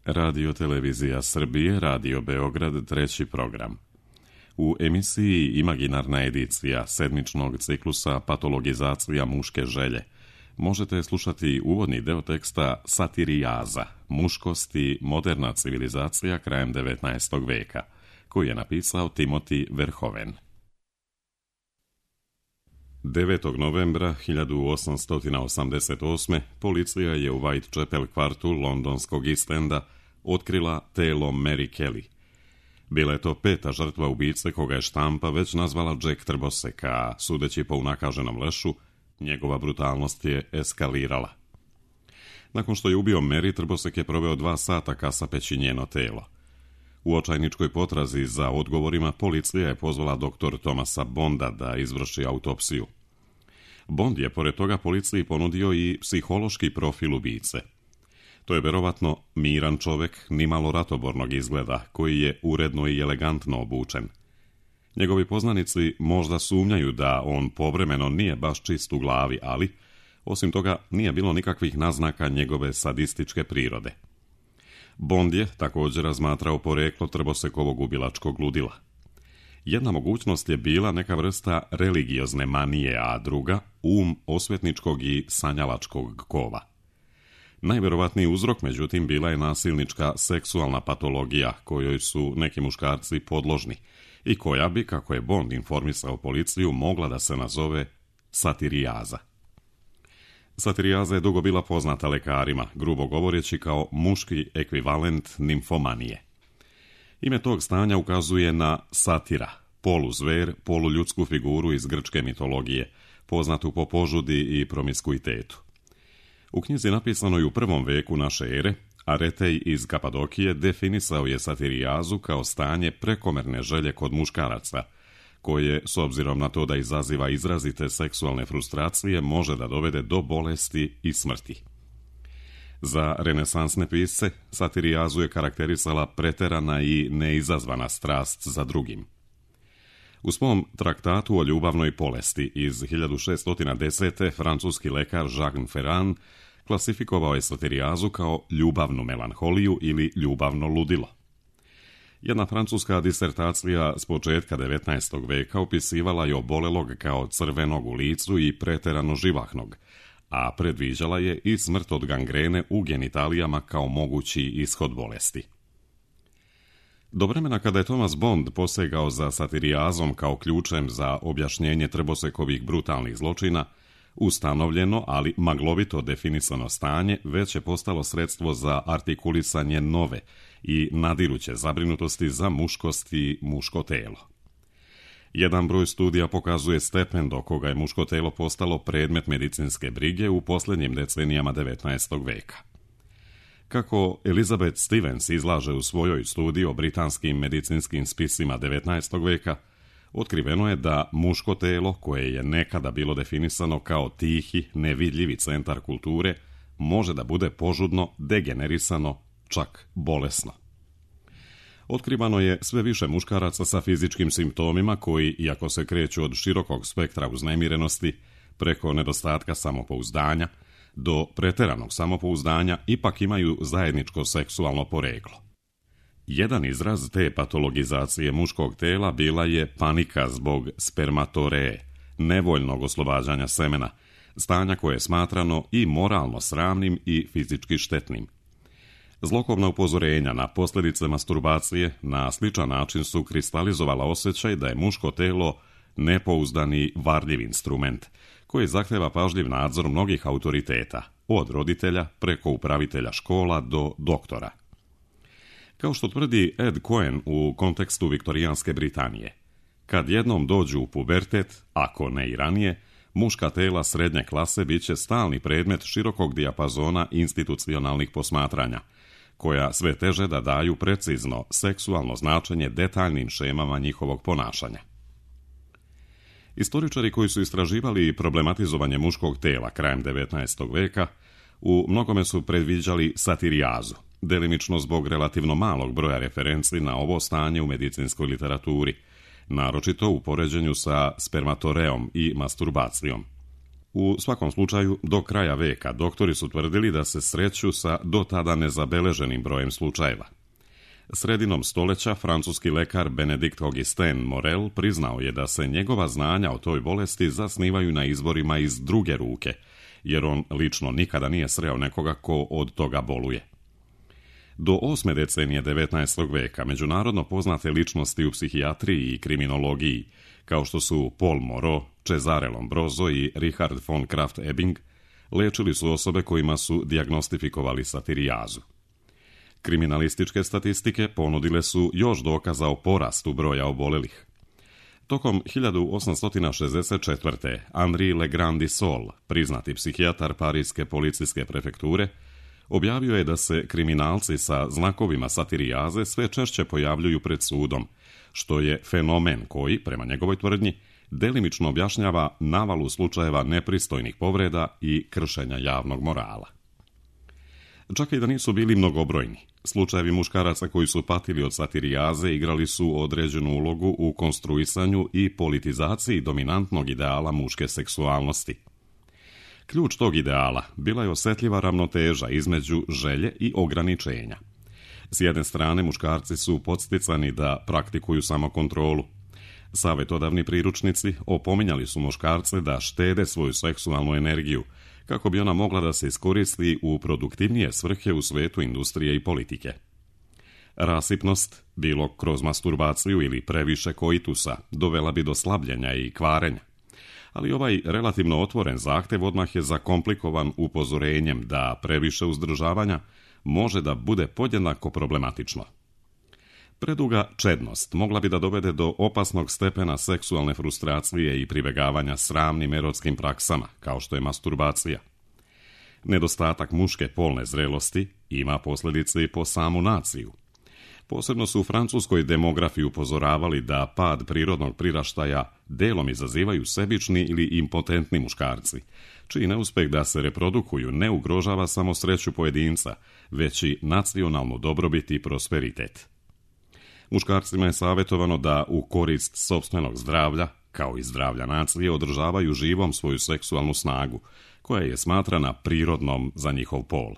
Radio Televizija Srbije, Radio Beograd, treći program. U emisiji Imaginarna edicija sedmičnog ciklusa Patologizacija muške želje možete slušati uvodni deo teksta Satirijaza, muškost i moderna civilizacija krajem 19. veka, koji je napisao Timothy Verhoeven. 9. novembra 1888. policija je u Whitechapel kvartu londonskog East Enda otkrila telo Mary Kelly. Bila je to peta žrtva ubice koga je štampa već nazvala Jack Trbosek, a sudeći po unakaženom lešu, njegova brutalnost je eskalirala. Nakon što je ubio Mary, Trbosek je proveo 2 sata kasapeći njeno telo. U očajničkoj potrazi za odgovorima policija je pozvala dr. Thomasa Bonda da izvrši autopsiju. Bond je pored toga policiji ponudio i psihološki profil ubice. To je verovatno miran čovek, nimalo ratobornog izgleda, koji je uredno i elegantno obučen. Njegovi poznanici možda sumnjaju da on povremeno nije baš čist u glavi, ali, osim toga, nije bilo nikakvih naznaka njegove sadističke prirode. Bond je također razmatrao poreklo Trbosekovog ubilačkog ludila. Jedna mogućnost je bila neka vrsta religiozne manije, a druga osvetničkog i sanjalačkog kova. Najverovatniji uzrok, međutim, bila je nasilnička seksualna patologija kojoj su neki muškarci podložni i koja bi, kako je Bond informisao policiju, mogla da se nazove satirijaza. Satirijaza je dugo bila poznata lekarima, grubo govoreći kao muški ekvivalent nimfomanije. Ime tog stanja ukazuje na satira, poluzver, poluljudsku figuru iz grčke mitologije, poznatu po požudi i promiskuitetu. U knjizi napisanoj u 1. veku naše ere, Aretej iz Kapadokije definisao je satirijazu kao stanje prekomerne želje kod muškaraca, koje, s obzirom na to da izaziva izrazite seksualne frustracije, može da dovede do bolesti i smrti. Za renesansne pisce, satirijazu je karakterisala preterana i neizazvana strast za drugim. U svom traktatu o ljubavnoj bolesti iz 1610. francuski lekar Jacques Ferrand klasifikovao je satirijazu kao ljubavnu melanholiju ili ljubavno ludilo. Jedna francuska disertacija s početka 19. veka opisivala je obolelog kao crvenog u licu i preterano živahnog, a predviđala je i smrt od gangrene u genitalijama kao mogući ishod bolesti. Do vremena kada je Thomas Bond posegao za satirijazom kao ključem za objašnjenje Trbosekovih brutalnih zločina, ustanovljeno, ali maglovito definisano stanje već je postalo sredstvo za artikulisanje nove i nadiruće zabrinutosti za muškost i muško telo. Jedan broj studija pokazuje stepen do koga je muško telo postalo predmet medicinske brige u posljednjim decenijama 19. veka. Kako Elizabeth Stevens izlaže u svojoj studiji o britanskim medicinskim spisima 19. veka, otkriveno je da muško telo, koje je nekada bilo definisano kao tihi, nevidljivi centar kulture, može da bude požudno, degenerisano, čak bolesno. Otkrivano je sve više muškaraca sa fizičkim simptomima koji, iako se kreću od širokog spektra uznemirenosti, preko nedostatka samopouzdanja, do preteranog samopouzdanja, ipak imaju zajedničko seksualno poreklo. Jedan izraz te patologizacije muškog tela bila je panika zbog spermatoreje, nevoljnog oslobađanja semena, stanja koje je smatrano i moralno sramnim i fizički štetnim. Zlokobna upozorenja na posljedice masturbacije na sličan način su kristalizovala osjećaj da je muško telo nepouzdani varljiv instrument, koji zahteva pažljiv nadzor mnogih autoriteta, od roditelja preko upravitelja škola do doktora. Kao što tvrdi Ed Cohen u kontekstu viktorijanske Britanije, kad jednom dođu u pubertet, ako ne i ranije, muška tela srednje klase bit će stalni predmet širokog dijapazona institucionalnih posmatranja, koja sve teže da daju precizno seksualno značenje detaljnim šemama njihovog ponašanja. Istoričari koji su istraživali problematizovanje muškog tela krajem 19. veka u mnogome su predviđali satirijazu, delimično zbog relativno malog broja referenci na ovo stanje u medicinskoj literaturi, naročito u poređenju sa spermatoreom i masturbacijom. U svakom slučaju, do kraja veka doktori su tvrdili da se sreću sa do tada nezabeleženim brojem slučajeva. Sredinom stoljeća francuski lekar Benedikt Augustin Morel priznao je da se njegova znanja o toj bolesti zasnivaju na izvorima iz druge ruke, jer on lično nikada nije sreo nekoga ko od toga boluje. Do 8. decenije 19. veka međunarodno poznate ličnosti u psihijatriji i kriminologiji, kao što su Paul Moreau, Cesare Lombroso i Richard von Krafft-Ebing, lečili su osobe kojima su dijagnostifikovali satirijazu. Kriminalističke statistike ponudile su još dokaza o porastu broja obolelih. Tokom 1864. Henri Legrand Sol, priznati psihijatar Parijske policijske prefekture, objavio je da se kriminalci sa znakovima satirijaze sve češće pojavljuju pred sudom, što je fenomen koji, prema njegovoj tvrdnji, delimično objašnjava navalu slučajeva nepristojnih povreda i kršenja javnog morala. Čak i da nisu bili mnogobrojni, slučajevi muškaraca koji su patili od satirijaze igrali su određenu ulogu u konstruisanju i politizaciji dominantnog ideala muške seksualnosti. Ključ tog ideala bila je osjetljiva ravnoteža između želje i ograničenja. S jedne strane, muškarci su podsticani da praktikuju samokontrolu. Savjetodavni priručnici opominjali su muškarce da štede svoju seksualnu energiju, kako bi ona mogla da se iskoristi u produktivnije svrhe u svetu industrije i politike. Rasipnost, bilo kroz masturbaciju ili previše koitusa, dovela bi do slabljenja i kvarenja. Ali ovaj relativno otvoren zahtev odmah je zakomplikovan upozorenjem da previše uzdržavanja može da bude podjednako problematično. Preduga čednost mogla bi da dovede do opasnog stepena seksualne frustracije i pribegavanja sramnim erotskim praksama, kao što je masturbacija. Nedostatak muške polne zrelosti ima posljedice i po samu naciju. Posebno su u francuskoj demografi upozoravali da pad prirodnog priraštaja delom izazivaju sebični ili impotentni muškarci, čiji neuspeh da se reprodukuju ne ugrožava samo sreću pojedinca, već i nacionalnu dobrobit i prosperitet. Muškarcima je savjetovano da u korist sopstvenog zdravlja, kao i zdravlja nacije, održavaju živom svoju seksualnu snagu, koja je smatrana prirodnom za njihov pol.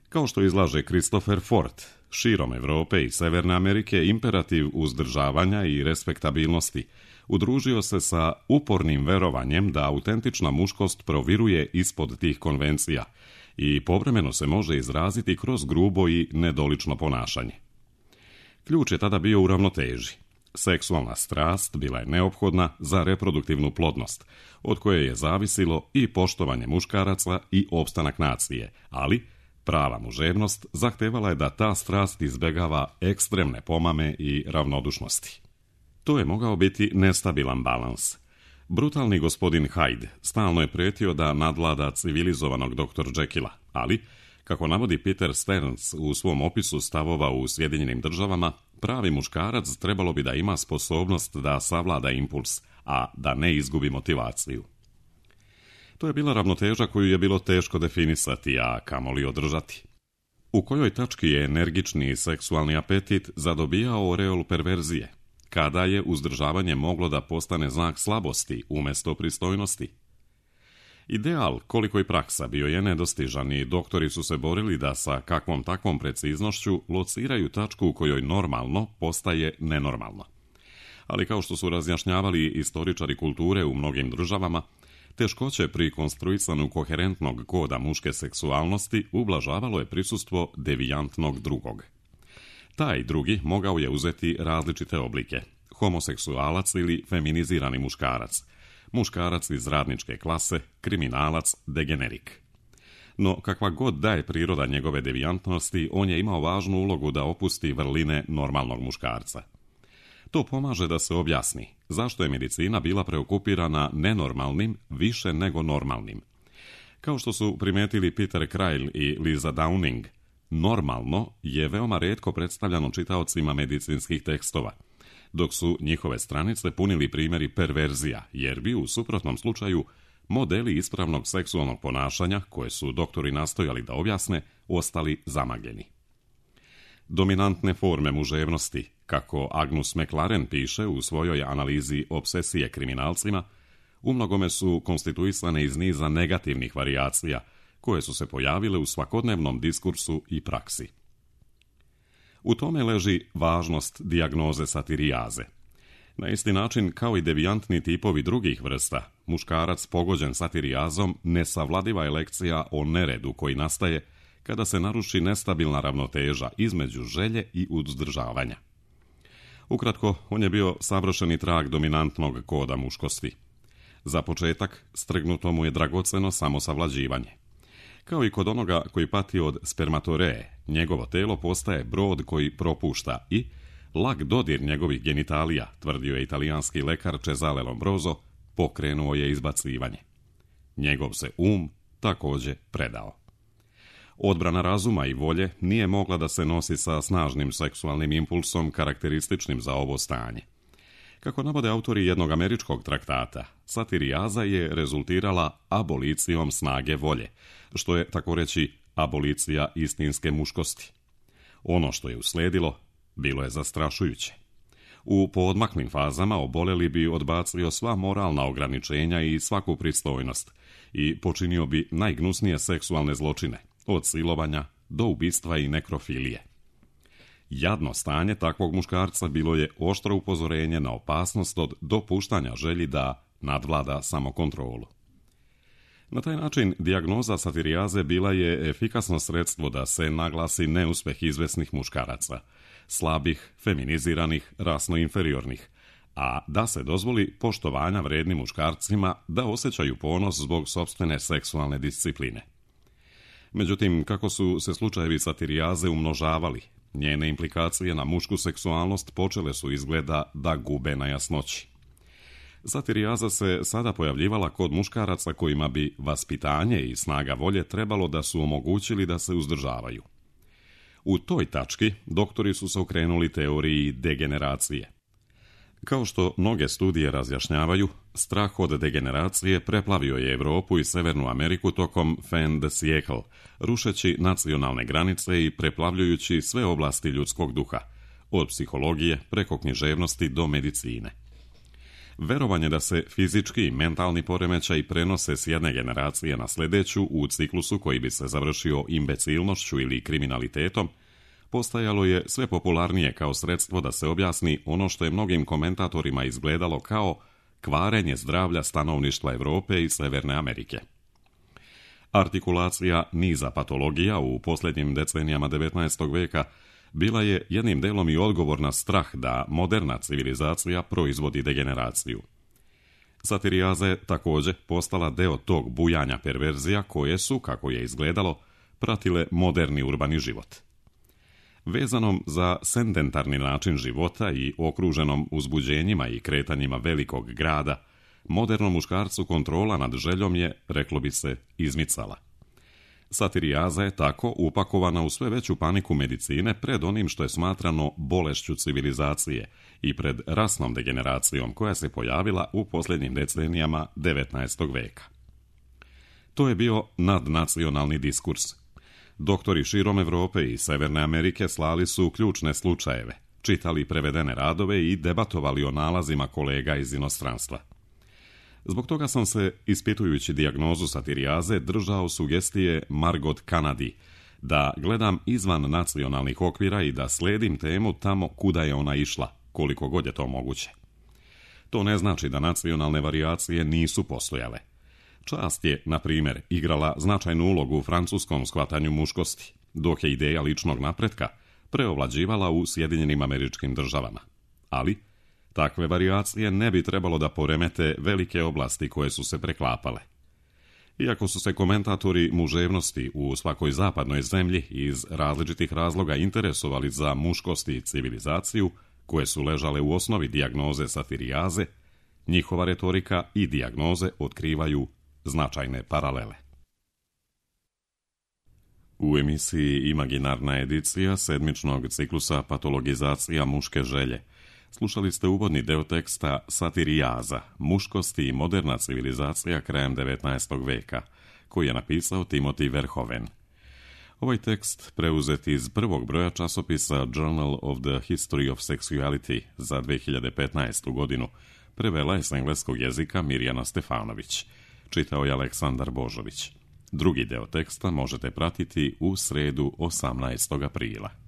Kao što izlaže Christopher Fort, širom Europe i Severne Amerike imperativ uzdržavanja i respektabilnosti udružio se sa upornim verovanjem da autentična muškost proviruje ispod tih konvencija i povremeno se može izraziti kroz grubo i nedolično ponašanje. Ključ je tada bio u ravnoteži. Seksualna strast bila je neophodna za reproduktivnu plodnost, od koje je zavisilo i poštovanje muškaraca i opstanak nacije, ali prava muževnost zahtevala je da ta strast izbjegava ekstremne pomame i ravnodušnosti. To je mogao biti nestabilan balans. Brutalni gospodin Hyde stalno je prijetio da nadvlada civilizovanog dr. Jekylla, ali, kako navodi Peter Stearns u svom opisu stavova u Sjedinjenim državama, pravi muškarac trebalo bi da ima sposobnost da savlada impuls, a da ne izgubi motivaciju. To je bila ravnoteža koju je bilo teško definisati, a kamoli održati. U kojoj tački je energični seksualni apetit zadobijao oreol perverzije, kada je uzdržavanje moglo da postane znak slabosti umjesto pristojnosti? Ideal, koliko i praksa, bio je nedostižan i doktori su se borili da sa kakvom takvom preciznošću lociraju tačku u kojoj normalno postaje nenormalno. Ali kao što su razjašnjavali istoričari kulture u mnogim državama, teškoće pri konstruisanju koherentnog koda muške seksualnosti ublažavalo je prisustvo devijantnog drugog. Taj drugi mogao je uzeti različite oblike: homoseksualac ili feminizirani muškarac, muškarac iz radničke klase, kriminalac, degenerik. No, kakva god da je priroda njegove devijantnosti, on je imao važnu ulogu da opusti vrline normalnog muškarca. To pomaže da se objasni zašto je medicina bila preokupirana nenormalnim više nego normalnim. Kao što su primetili Peter Kreil i Lisa Downing, normalno je veoma retko predstavljano čitaocima medicinskih tekstova, dok su njihove stranice punili primjeri perverzija, jer bi u suprotnom slučaju modeli ispravnog seksualnog ponašanja, koje su doktori nastojali da objasne, ostali zamagljeni. Dominantne forme muževnosti, kako Agnus McLaren piše u svojoj analizi obsesije kriminalcima, umnogome su konstituisane iz niza negativnih varijacija, koje su se pojavile u svakodnevnom diskursu i praksi. U tome leži važnost dijagnoze satirijaze. Na isti način kao i devijantni tipovi drugih vrsta, muškarac pogođen satirijazom nesavladiva je lekcija o neredu koji nastaje kada se naruši nestabilna ravnoteža između želje i uzdržavanja. Ukratko, on je bio savršeni trag dominantnog koda muškosti. Za početak, strgnuto mu je dragoceno samosavlađivanje. Kao i kod onoga koji pati od spermatoreje, njegovo telo postaje brod koji propušta i lag dodir njegovih genitalija, tvrdio je italijanski lekar Cesare Lombroso, pokrenuo je izbacivanje. Njegov se također predao. Odbrana razuma i volje nije mogla da se nosi sa snažnim seksualnim impulsom karakterističnim za ovo stanje. Kako navode autori jednog američkog traktata, satirijaza je rezultirala abolicijom snage volje, što je, tako reći, abolicija istinske muškosti. Ono što je usledilo, bilo je zastrašujuće. U poodmaklim fazama oboleli bi odbacio sva moralna ograničenja i svaku pristojnost i počinio bi najgnusnije seksualne zločine, od silovanja do ubistva i nekrofilije. Jadno stanje takvog muškarca bilo je oštro upozorenje na opasnost od dopuštanja želji da nadvlada samokontrolu. Na taj način dijagnoza satirijaze bila je efikasno sredstvo da se naglasi neuspeh izvesnih muškaraca, slabih, feminiziranih, rasno inferiornih, a da se dozvoli poštovanja vrednim muškarcima da osjećaju ponos zbog sopstvene seksualne discipline. Međutim, kako su se slučajevi satirijaze umnožavali, njene implikacije na mušku seksualnost počele su izgleda da gube na jasnoći. Satirijaza se sada pojavljivala kod muškaraca kojima bi vaspitanje i snaga volje trebalo da su omogućili da se uzdržavaju. U toj tački doktori su se okrenuli teoriji degeneracije. Kao što mnoge studije razjašnjavaju, strah od degeneracije preplavio je Europu i Severnu Ameriku tokom fin de siècle, rušeći nacionalne granice i preplavljujući sve oblasti ljudskog duha, od psihologije preko književnosti do medicine. Verovanje da se fizički i mentalni poremećaj prenose s jedne generacije na sljedeću u ciklusu koji bi se završio imbecilnošću ili kriminalitetom, postajalo je sve popularnije kao sredstvo da se objasni ono što je mnogim komentatorima izgledalo kao kvarenje zdravlja stanovništva Europe i Severne Amerike. Artikulacija niza patologija u posljednjim decenijama 19. veka bila je jednim delom i odgovor na strah da moderna civilizacija proizvodi degeneraciju. Satirijaza je također postala deo tog bujanja perverzija koje su, kako je izgledalo, pratile moderni urbani život. Vezanom za sedentarni način života i okruženom uzbuđenjima i kretanjima velikog grada, modernom muškarcu kontrola nad željom je, reklo bi se, izmicala. Satirijaza je tako upakovana u sve veću paniku medicine pred onim što je smatrano bolešću civilizacije i pred rasnom degeneracijom koja se pojavila u posljednjim decenijama 19. veka. To je bio nadnacionalni diskurs. Doktori širom Europe i Severne Amerike slali su ključne slučajeve, čitali prevedene radove i debatovali o nalazima kolega iz inostranstva. Zbog toga sam se, ispitujući dijagnozu satirijaze, držao sugestije Margot Kennedy da gledam izvan nacionalnih okvira i da sledim temu tamo kuda je ona išla, koliko god je to moguće. To ne znači da nacionalne varijacije nisu postojale. Čast je, na primjer, igrala značajnu ulogu u francuskom shvatanju muškosti, dok je ideja ličnog napretka preovlađivala u Sjedinjenim Američkim Državama. Ali takve varijacije ne bi trebalo da poremete velike oblasti koje su se preklapale. Iako su se komentatori muževnosti u svakoj zapadnoj zemlji iz različitih razloga interesovali za muškost i civilizaciju, koje su ležale u osnovi dijagnoze satirijaze, njihova retorika i dijagnoze otkrivaju značajne paralele. U emisiji Imaginarna edicija sedmičnog ciklusa Patologizacija muške želje slušali ste uvodni deo teksta Satirijaza, muškosti i moderna civilizacija krajem 19. veka, koji je napisao Timothy Verhoeven. Ovaj tekst preuzet iz prvog broja časopisa Journal of the History of Sexuality za 2015. godinu Prevela je s engleskog jezika Mirjana Stefanović. Čitao je Aleksandar Božović. Drugi deo teksta možete pratiti u sredu 18. aprila.